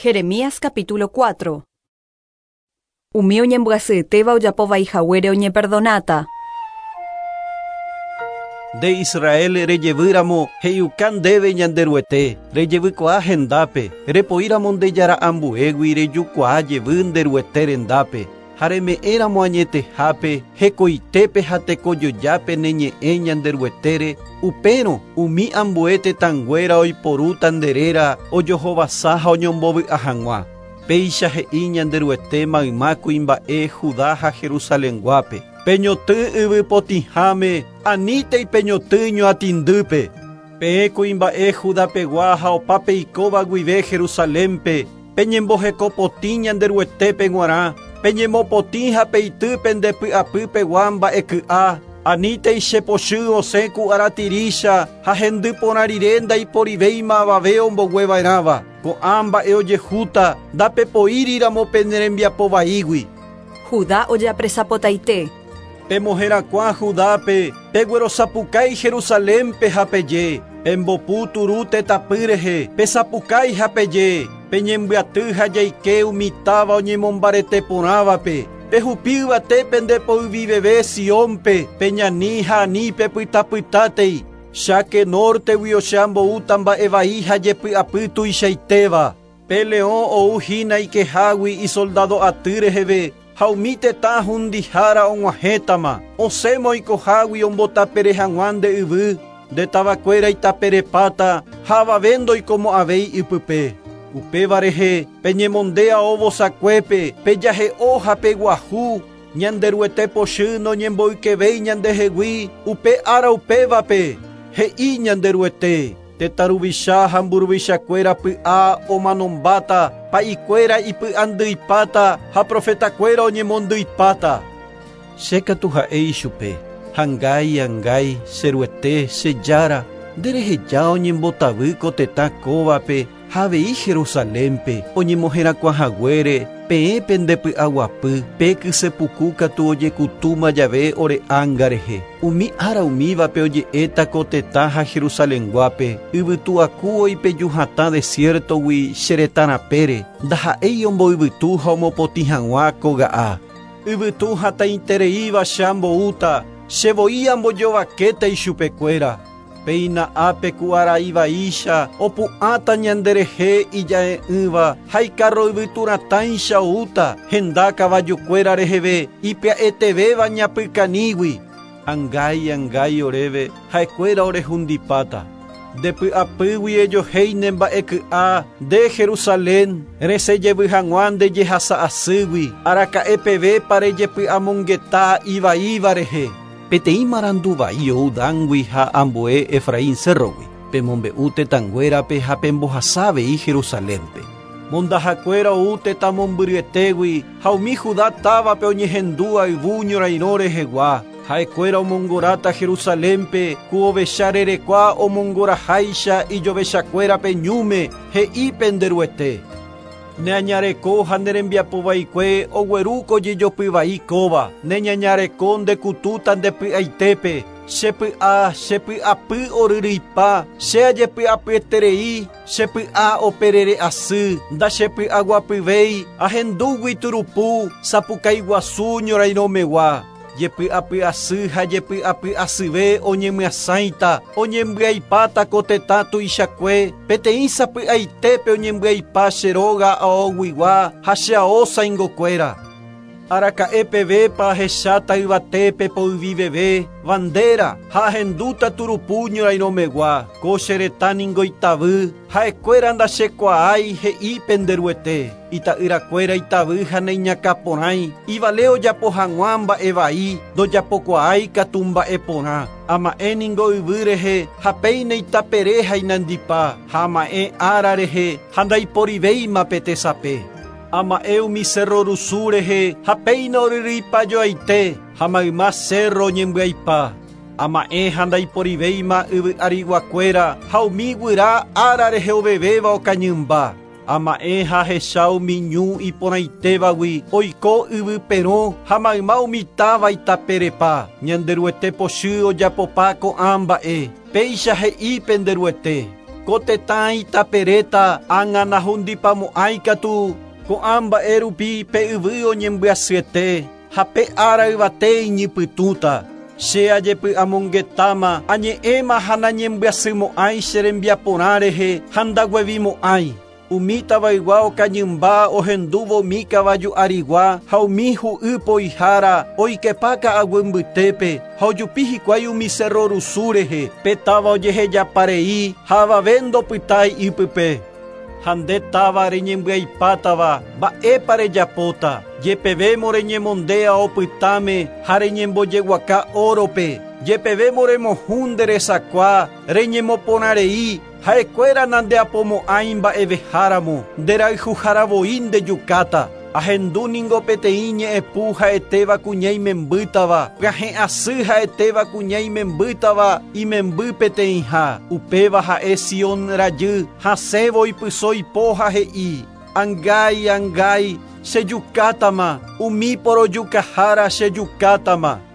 Jeremías capítulo 4. Umi oñembyasyetéva ojapo vai haguére oñeperdonáta. Nde Israel rejevýramo, he'iuka ndéve Ñanderuete, rejevykuaa hendápe, repoíramo nde jára ambuégui rejukuaa jevy nde Ruete rendápe, ha reme'ẽramo añetehápe, hekoitépe ha tekojojápe ne ñe'ẽ Ñanderuetére, upérõ umi ambue tetãnguéra oiporúta nde réra ojohovasa ha oñombovy'a hag̃ua. Péicha he'i Ñanderuete mayma kuimba'e Judá ha Jerusalenguápe. Peñotỹ yvy potĩháme, anítei peñotỹ ñoatĩndýpe. Peẽ kuimba'e Judapegua ha opa peikóva guive Jerusalénpe, peñembohekopotĩ Ñanderuetépe g̃uarã, peñemopotĩ ha peity pende py'apypegua mba'eky'a, anítei che pochy osẽ ku aratirícha ha hendy porã rire ndaiporivéima avave ombogueva'erãva. Ko'ã mba'e ojehúta ndapepoíriramo pene rembiapo vaígui. Judá ojeapresapotaite. Pemoherakuã Judápe, peguerosapukái Jerusalénpe ha peje, pembopu turu tetãpy rehe, pesapukái ha peje, peñembyaty ha jaike umi táva oñemombarete porãvape, pehupi yvate pende poyviveve Siónpe, peñani ha ani pepytapytátei, cháke nórtegui che amboúta mba'e vai ha jepy'apy tuichaitéva. Pe leõ ou hína ikehágui isoldado aty reheve ha umi tetã hundihára og̃uahẽtama, osẽma oikohágui ombotapere hag̃ua nde yvy, nde tavakuéra itaperepáta ha avave ndoikomo'ãvéi ipype. Upéva rehe peñemonde ao vosakuépe, pejahe'o ha peguahu, Ñanderuete pochy noñemboykevéi ñandehegui upe ára upévape, he'i Ñanderuete. Tetã ruvicha ha mburuvichakuéra py'a omanombáta, pa'ikuéra ipy'andyipáta ha profetakuéra oñemondyipáta. Che katu ha'e ichupe, Angái, angái, che Ruete, che Jára, nde reheja oñembotavy ko tetã kóvape ha avei Jerusalénpe, oñemoherakuã haguére peẽ pende py'aguapy, pe kyse puku katu ojekutúma jave ore ánga rehe. Umi ára umívape oje'éta ko tetã ha Jerusalenguápe, yvytu aku oipeju hatã desiértogui che retã rapére, ndaha'éi omboyvytu ha omopotĩ hag̃ua koga'a. Yvytu hatãitereíva che amboúta, che voi ambojovakéta ichupekuéra. Péina ápe ku arai vaícha opu'ãta ñanderehe ija'e'ỹva ha ikarro yvytu ratãicha oúta henda kavajukuéra reheve ipya'etevéva ñapykanígui. Angái, angái oréve, ha'ekuéra orehundipáta. Nde py'apýgui ejohéi ne mba'eky'a, nde Jerusalén, resẽ jevy hag̃ua nde jehasa asýgui, araka'e pevépa rejepy'amongeta ivaíva rehe. Peteĩ marandu vai ou Dángui ha ambue Efraín cérrogui, pemombe'u tetãnguérape ha pembohasa avei Jerusalénpe. Mondahakuéra ou tetã mombyryetégui ha umi Judá távape oñehendu ayvu ñorairõ rehegua. Ha'ekuéra omongoráta Jerusalénpe ku ovecha rerekua omongoraháicha ijovechakuérape ñúme, he'i pende Ruete. Ne añareko ha ne rembiapo vaikue ogueru ko jejopy vai kóva, ne ñañareko nde kutúta nde py'aitépe, che py'a, che py'apy oryryipa, che ajepy'apyeterei, che py'a operere asy, ndachepy'aguapyvéi, ahendúgui turupu, sapukái guasu ñorairõmegua. Jepy'apy asy ha jepy'apy asyve oñemyasãita, oñembyaipáta ko tetã tuichakue, peteĩ sapy'aitépe oñembyaipa che róga aoguigua ha che ao sãingokuéra. Araka'e pevépa ahecháta yvatépe poyviveve, bandera, ha ahendúta turupu ñorairõmegua, ko che retã ningo itavy, ha'ekuéra ndachekuaái, he'i pende Ruete. Ita'yrakuéra itavy ha naiñakãporãi, ivale ojapo hag̃ua mba'e vai, ndojapokuaái katu mba'e porã. Ama'ẽ ningo yvy rehe ha péina itapere ha inandipa, ha ama'ẽ ára rehe ha ndaiporivéima pe tesape. Ama'ẽ umi cerro rusu rehe ha péina oryryipajoaite, ha mayma cerro oñembyaipa. Ama'ẽ ha ndaiporivéima yvy ariguakuéra ha umi guyra ára rehe ovevéva okañymba. Ama'ẽ ha ahecha umi ñu iporãitévagui oiko yvy perõ ha mayma umi táva itaperepa. Ñanderuete pochy ojapopa ko'ã mba'e. Péicha he'i pende Ruete. Ko tetã itaperéta ág̃a nahundipamo'ãi katu ko'ã mba'e rupi pe yvy oñembyasyete ha pe ára yvate iñypytũta. Che ajepy'amongetáma añe'ẽma ha nañembyasymo'ãi che rembiaporã rehe ha ndaguevimo'ãi. Umi tavaygua okañymba ohendúvo umi kavaju arigua ha umi hu'y poihára oikepa ka'aguy mbytépe ha ojupi hikuái umi cerro rusu rehe pe táva ojehejaparei ha avave ndopytái ipype. Ha nde táva reñembyaipátava mba'épa rejapóta jepevémo reñemondéa opytáme ha reñembojeguaka órope jepevémo remohũ nde resakua reñemoporãrei ha'ekuéra nandeapomo'ãi mba'eveháramo nderayhuharavoi ndejukáta. Ahendu ningo peteĩ ñe'ẽpu ha'etéva kuña imembýtava pyahẽ asy ha'etéva kuña imembýtava imemby peteĩha. Upéva ha'e Sion rajy hasẽvo ipyso ipo ha he'i angái angái chejukátama umi porojukahára chejukátama.